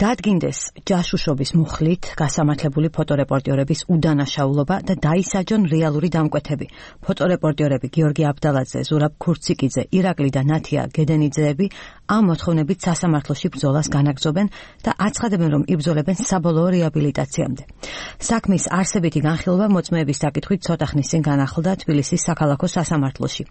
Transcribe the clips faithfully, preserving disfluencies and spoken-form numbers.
დადგინდეს ჯაშუშობის მუხლით გასამართლებული ფოტორეპორტიორების უდანაშაულობა და დაისაჯონ რეალური დამკვეთები. ფოტორეპორტიორები გიორგი აბდალაძე, ზურაბ ქურციკიძე, ირაკლი და ნათია გედენიძეები ამ მოთხოვნებით სასამართლოში ბრძოლას განაგრძობენ და აცხადებენ, რომ იბრძოლებენ საბოლოო რეაბილიტაციამდე. საქმის არსებითი განხილვა მოწმეების საკითხვით ცოტა ხნის წინ განახლდა თბილისის საქალაქო სასამართლოში.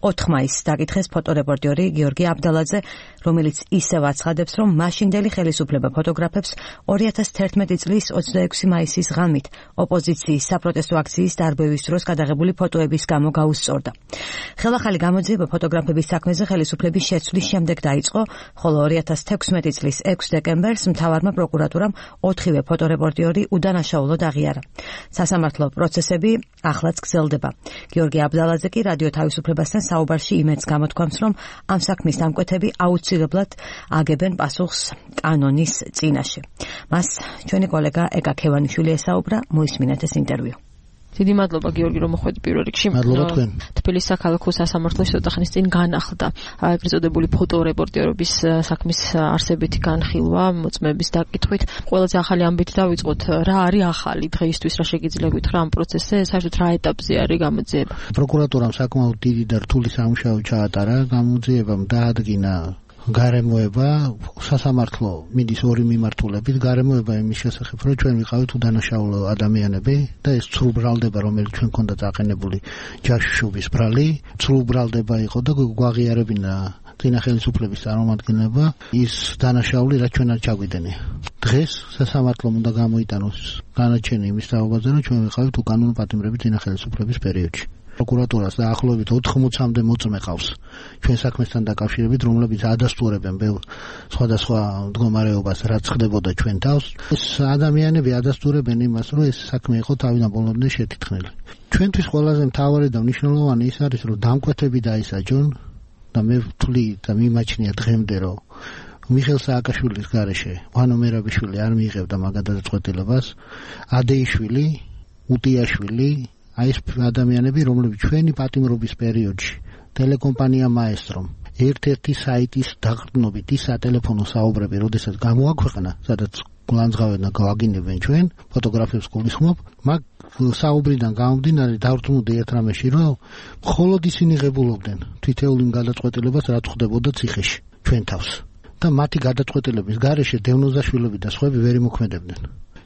ოთხ მაისს დაკითხეს ფოტორეპორტიორი გიორგი აბდალაძე, რომელიც ისევ აცხადებს, რომ მაშინდელი ხელისუფლება ფოტოგრაფებს ორი ათას თერთმეტი წლის ოცდაექვსი მაისის ღამით ოპოზიციის საპროტესტო აქციის დარბევის დროს გადაღებული ფოტოების გამო გაუსწორდა. ხელახალი გამოძიება ფოტოგრაფების საქმეზე ხელისუფლების შეცვლის შემდეგ დაიწყო, ხოლო ორი ათას თექვსმეტი წლის ექვსი დეკემბერს მთავარმა პროკურატურამ ოთხივე ფოტორეპორტიორი უდანაშაულოდ აღიარა. სასამართლო პროცესები ახლაც გრძელდება. გიორგი აბდალაძე კი რადიო თავისუფლებასთან საუბარში იმედს გამოთქვამს, რომ ამ საქმის დამკვეთები აუცილებლად აგებენ პასუხს კანონის წინაშე. მას ჩვენი კოლეგა ეკა ქევანიშვილი ესაუბრა, მოისმინეთ ეს ინტერვიუ. დიდი მადლობა გიორგი, რომ მოხვედი პირველ რიგში. მადლობა თქვენ. თბილისის საქალაქო სასამართლოში ცოტა ხნის წინ განახლდა ეგრეთ წოდებული ფოტორეპორტიორების საქმის არსებითი განხილვა მოწმეების დაკითხვით. ყველაზე ახალი ამბით დავიწყოთ, რა არის ახალი დღეისთვის, რა შეგიძლია გითხრა ამ პროცესზე, საერთოდ რა ეტაპზე არის გამოძიება? პროკურატურამ საკმაოდ დიდი და რთული სამუშაო ჩაატარა, გამოძიებამ დაადგინა გარემოება, სასამართლო მიდის ორი მიმართულებით, გარემოება იმის შესახებ, რომ ჩვენ ვიყავით უდანაშაულო ადამიანები და ეს ცრუ ბრალდება, რომელიც ჩვენ ქონდა დაყენებული ჯაშუშობის ბრალი, ცრუ ბრალდება იყო და გვაღიარებინა წინა ხელისუფლების წარმომადგენლობა, ის დანაშაული, რაც ჩვენ არ ჩაგვიდენია. დღეს სასამართლომ უნდა გამოიტანოს განაჩენი იმის თაობაზე, რომ ჩვენ ვიყავით უკანონო პატიმრები წინა ხელისუფლების პერიოდში. პროკურატურას დაახლოებით ოთხმოცამდე მოწმე ყავს ჩვენ საქმესთან დაკავშირებით, რომლებიც ადასტურებენ ბევრ სხვადასხვა მდგომარეობას, რაც ხდებოდა ჩვენ თავს. ეს ადამიანები ადასტურებენ იმას, რომ ეს საქმე იყო თავიდან ბოლომდე შეთითხნილი. ჩვენთვის ყველაზე მთავარი და მნიშვნელოვანი ის არის, რომ დამკვეთები დაისაჯონ და მე ვთვლი და მიმაჩნია დღემდე, რომ მიხეილ სააკაშვილის გარეშე ვანო მერაბიშვილი არ მიიღებდა მაგ გადაწყვეტილებას, ადეიშვილი, უტიაშვილი, აი ეს ადამიანები, რომლებიც ჩვენი პატიმრობის პერიოდში ტელეკომპანია მაესტრომ ერთ-ერთი საიტის დაყრდნობით ის სატელეფონო საუბრები, როდესაც გამოაქვეყნა, სადაც გულანძღავენ და გავაგინებენ ჩვენ ფოტოგრაფებს გულისხმობ, მაგ საუბრიდან გამომდინარე დავრწმუნდი ერთ რამეში, რომ მხოლოდ ისინი ღებულობდნენ თითოეულ იმ გადაწყვეტილებას, რაც ხდებოდა ციხეში ჩვენ თავს და მათი გადაწყვეტილების გარეშე დევნოზაშვილები და სხვები ვერ იმოქმედებდნენ.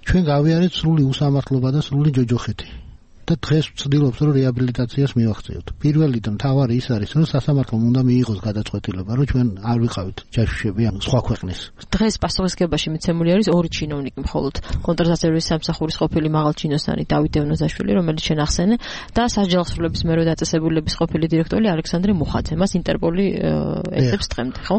ჩვენ გავიარეთ სრული უსამართლობა და სრული ჯოჯოხეთი. და დღეს ვცდილობთ, რომ რეაბილიტაციას მივახციოთ. პირველი და მთავარი ის არის, რომ სასამართლომ უნდა მიიღოს გადაწყვეტილება, რომ ჩვენ არ ვიყავით ჯაშუშები ამ სხვა ქვეყნის. დღეს პასუხისგებაში მიცემული არის ორი ჩინოვნიკი მხოლოდ. კონტრასაცერვის სამსახურის ყოფილი მაღალჩინოსანი დავით დევნოზაშვილი, რომელიც შენ ახსენე, და სასჯელსრულების მერვე დაწესებულების ყოფილი დირექტორი ალექსანდრე მუხაძე. მას ინტერპოლი ეძებს დღემდე, ხო?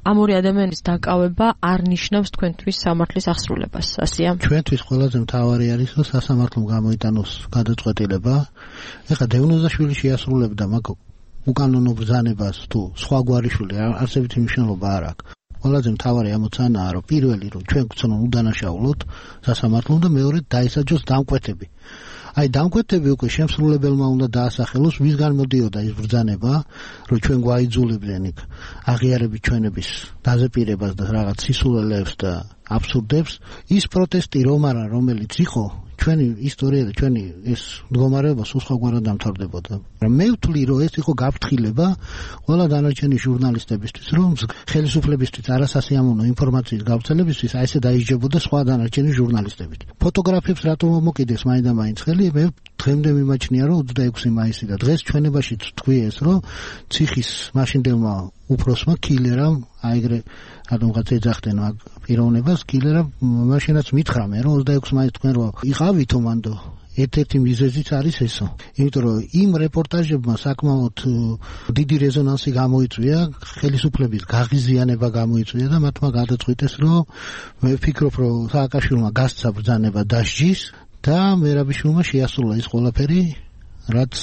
ამ ორი ადამიანის დაკავება არ ნიშნავს თქვენთვის სამართლის აღსრულებას, ასეა? ჩვენთვის ყველაზე მთავარი არის, რომ სასამართლომ გამოიტანოს გადაწყვეტილება. ეხლა დევნოზაშვილი შეასრულებდა მაგ უკანონო ბრძანებას თუ სხვა გვარიშვილი არსებითი მნიშვნელობა არ აქვს. ყველაზე მთავარი ამოცანაა, რომ პირველი რომ ჩვენ გვცნონ უდანაშაულოთ სასამართლომ და მეორე დაისაჯოს დამკვეთები. აი დამკვეთები უკვე შემსრულებელმა უნდა დაასახელოს, ვისგან მოდიოდა ის ბრძანება, რომ ჩვენ გვაიძულებდნენ იქ აღიარებით ჩვენების დაზეპირებას და რაღაც სისულელეებს და აბსურდებს. ის პროტესტი რომ არა, რომელიც იყო ჩვენი ისტორია და ჩვენი ეს მდგომარეობა სულ სხვაგვარად დამთავრდებოდა. მე ვთვლი, რომ ეს იყო გაფრთხილება ყველა დანარჩენი ჟურნალისტებისთვის, რომ ხელისუფლებისთვის არასასიამოვნო ინფორმაციის გავრცელებისთვის აი ესე დაიჯდებოდა სხვა დანარჩენი ჟურნალისტებით. ფოტოგრაფებს რატომ მომოკიდეს მაინდა-მაინც ხელი? მე დღემდე მიმაჩნია, რომ ოცდაექვსი მაისი და დღეს ჩვენებაში თქვი ეს, რომ ციხის მაშინდელმა უფროსმა კილერამ აიგრე ადამიანს ეძახდნენ მაგ პიროვნებას, კილერამ მაშინაც მითხრა მე, რომ ოცდაექვსი მაისს თქვენ რო იყავითო მანდო, ერთ-ერთი მიზეზიც არის ესო. იმიტომ რომ იმ რეპორტაჟებმა საკმაოდ დიდი რეზონანსი გამოიწვია, ხელისუფლების გაღიზიანება გამოიწვია და მათმა გადაწყვიტეს, რომ მე ვფიქრობ, რომ სააკაშვილმა გასცა ბრძანება დასჯის და მერაბიშვილმა შეასრულა ის ყველაფერი, რაც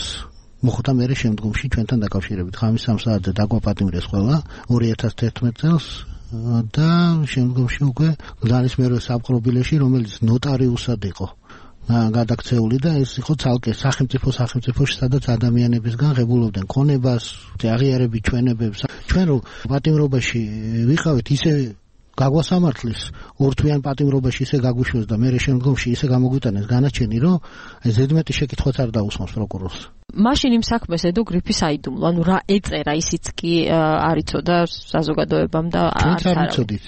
მოხდა მერე შემდგომში ჩვენთან დაკავშირებით. ღამის სამ საათზე დაგვაპატიმრეს ყველა ორი ათას თერთმეტ წელს და შემდგომში უკვე გზანის მერვე საპყრობილეში, რომელიც ნოტარიუსად იყო გადაქცეული და ეს იყო ცალკე სახელმწიფო სახელმწიფოში, სადაც ადამიანებისგან ღებულობდნენ ქონებას, აღიარებით ჩვენებებს. ჩვენ რო პატიმრობაში ვიყავით, ისე გაგვასამართლის ორთვიან პატიმრობაში ისე გაგვიშვეს და მე შემდგომში ისე გამოგვიტანეს განაჩენი, რომ აი ზედმეტი შეკითხვაც არ დაუსმოს პროკურორს. მაშინ იმ საქმეს ედო გრიფის აიდუმლო, ანუ რა ეწერა ისიც კი არ იცოდა საზოგადოებამ და არ არიცოდით.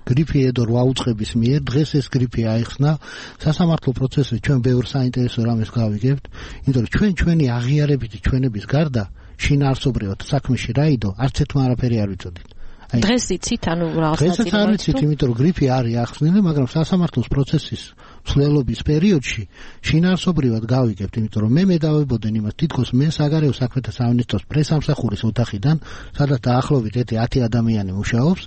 გრიფი ედო რვა უწყების მიერ დღეს ეს გრიფი აიხსნა სასამართლო პროცესზე ჩვენ ბევრ საინტერესო რამეს გავიგებთ, იმიტომ რომ ჩვენ ჩვენი აღიარებითი ჩვენების გარდა შინაარსობრივად საქმეში რა იდო არც ერთმა არაფერი არ ვიცოდით. დღეს იცით, ანუ რაღაც ნაწილი. დღესაც არ ვიცით, იმიტომ რომ გრიფი არის ახსნილი, მაგრამ სასამართლოს პროცესის მსვლელობის პერიოდში შინაარსობრივად გავიგებთ, იმიტომ რომ მე მე დავებოდენ იმას, თითქოს მე საგარეო საქმეთა სამინისტროს პრესამსახურის ოთახიდან, სადაც დაახლოებით ათი ადამიანი მუშაობს,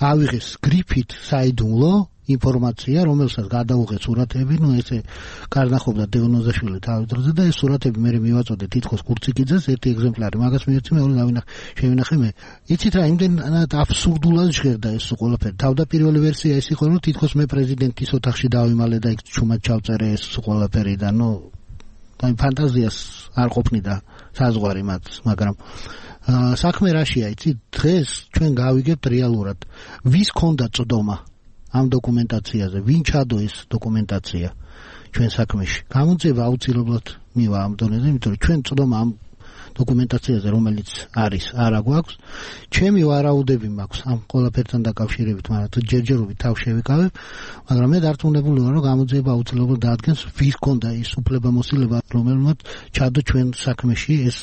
ავიღეს გრიფით საიდუმლო ინფორმაცია, რომელსაც გადაუღეს სურათები, ну ესე კარნახობდა დევნოზაშვილი თავის დროზე და ეს სურათები მე მივაწოდე თითქოს კურციკიძეს, ერთი ეგზემპლარი მაგას მიეცი, მეორე დავინახე, შევინახე მე. იცით რა, იმდენად აბსურდულად ჟღერდა ეს ყველაფერი. თავდაპირველი ვერსია ის იყო, რომ თითქოს მე პრეზიდენტის ოთახში დავიმალე და იქ ჩუმად ჩავწერე ეს ყველაფერი და ну აი ფანტაზიას არ ყოფნიდა საზღვარი მათ, მაგრამ საქმე რაშია, იცით, დღეს ჩვენ გავიგებთ რეალურად, ვის ქონდა წდომა ამ დოკუმენტაციაზე, ვინ ჩადო ეს დოკუმენტაცია ჩვენ საქმეში. გამოძიება აუცილებლად მივა ამ დონეზე, იმიტომ რომ ჩვენ წდომა ამ დოკუმენტაციაზე, რომელიც არის, არა გვაქვს. ჩემი ვარაუდები მაქვს ამ ყველაფერთან დაკავშირებით, მაგრამ ჯერჯერობით თავ შევიკავებ, მაგრამ მე დარწმუნებული ვარ, რომ გამოძიება აუცილებლად დაადგენს, ვის ქონდა ის უფლებამოსილება, რომელმაც ჩადო ჩვენ საქმეში ეს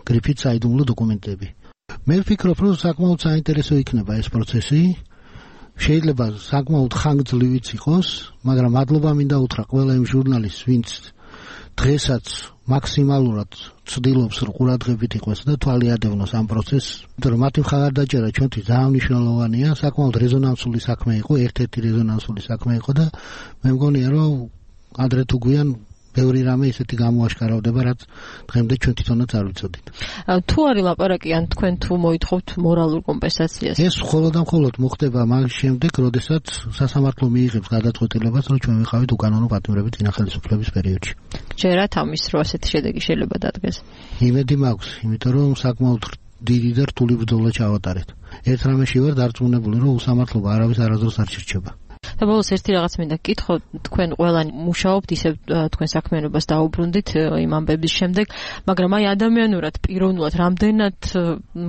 გრიფით საიდუმლო დოკუმენტები. მე ვფიქრობ, რომ საკმაოდ საინტერესო იქნება ეს პროცესი. შეიძლება საკმაოდ ხანგრძლივიც იყოს, მაგრამ მადლობა მინდა უთხრა ყველა იმ ჟურნალისტს, ვინც დღესაც მაქსიმალურად ცდილობს რომ ყურადღებით იყოს და თვალი ადევნოს ამ პროცესს, იმიტომ რომ მათი მხარდაჭერა ჩვენთვის ძალიან მნიშვნელოვანია, საკმაოდ რეზონანსული საქმე იყო, ერთ-ერთი რეზონანსული საქმე იყო და მე მგონია რომ ადრე თუ გვიან ბევრი რამე ისეთი გამოაშკარავდება, რაც დღემდე ჩვენ თვითონაც არ ვიცოდით. თუ არის ლაპარაკი ან თქვენ თუ მოითხოვთ მორალურ კომპენსაციას? ეს მხოლოდ და მხოლოდ მოხდება მაგ შემდეგ, როდესაც სასამართლო მიიღებს გადაწყვეტილებას, რომ ჩვენ ვიყავით უკანონო პატიმრებით წინა ხელისუფლების პერიოდში. ჯერათ ამის რო ასეთი შედეგი შეიძლება დადგეს? იმედი მაქვს, იმიტომ რომ საკმაოდ დიდი და რთული ბრძოლა ჩავატარეთ. ერთ რამეში ვარ დარწმუნებული, რომ უსამართლობა არავის არასდროს არ შერჩება. და ბოლოს ერთი რაღაც მინდა გკითხო, თქვენ ყველანი მუშაობთ, ისე თქვენ საქმიანობას დაუბრუნდით იმ ამბების შემდეგ, მაგრამ აი ადამიანურად, პიროვნულად, რამდენად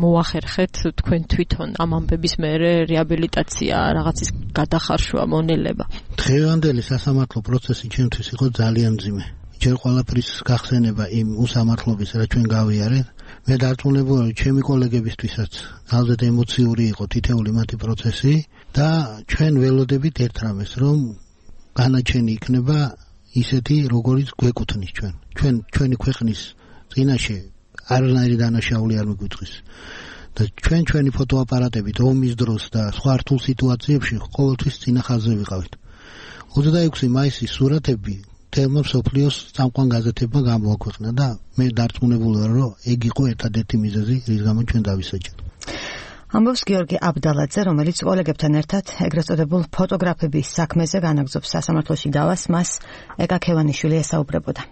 მოახერხეთ თქვენ თვითონ ამ ამბების მერე რეაბილიტაცია, რაღაცის გადახარშვა, მონელება? დღევანდელი სასამართლო პროცესი ჩემთვის იყო ძალიან მძიმე. ჯერ ყველაფრის გახსენება იმ უსამართლობის, რა ჩვენ გავიარეთ, მე დარწმუნებული ვარ, ჩემი კოლეგებისთვისაც ძალზედ ემოციური იყო თითეული მათი პროცესი და ჩვენ ველოდებით ერთ რამეს, რომ განაჩენი იქნება ისეთი, როგორიც გვეკუთვნის ჩვენ. ჩვენ ჩვენი ქვეყნის წინაშე არანაირი დანაშაული არ მიგვიწვის. და ჩვენ ჩვენი ფოტოაპარატებით ომის დროს და სხვა რთულ სიტუაციებში ყოველთვის წინა ხაზზე ვიყავით. ოცდაექვსი მაისის სურათები თემო სოფლიოს წამყვან გაზეთებმა გამოაქვეყნა და მე დარწმუნებული ვარ, რომ ეგ იყო ერთადერთი მიზეზი, რის გამო ჩვენ დავისაჯეთ. ამბობს გიორგი აბდალაძე, რომელიც კოლეგებთან ერთად ეგრეთ წოდებულ ფოტოგრაფების საქმეზე განაგრძობს სასამართლოში დავას, მას ეკა ქევანიშვილი ესაუბრებოდა.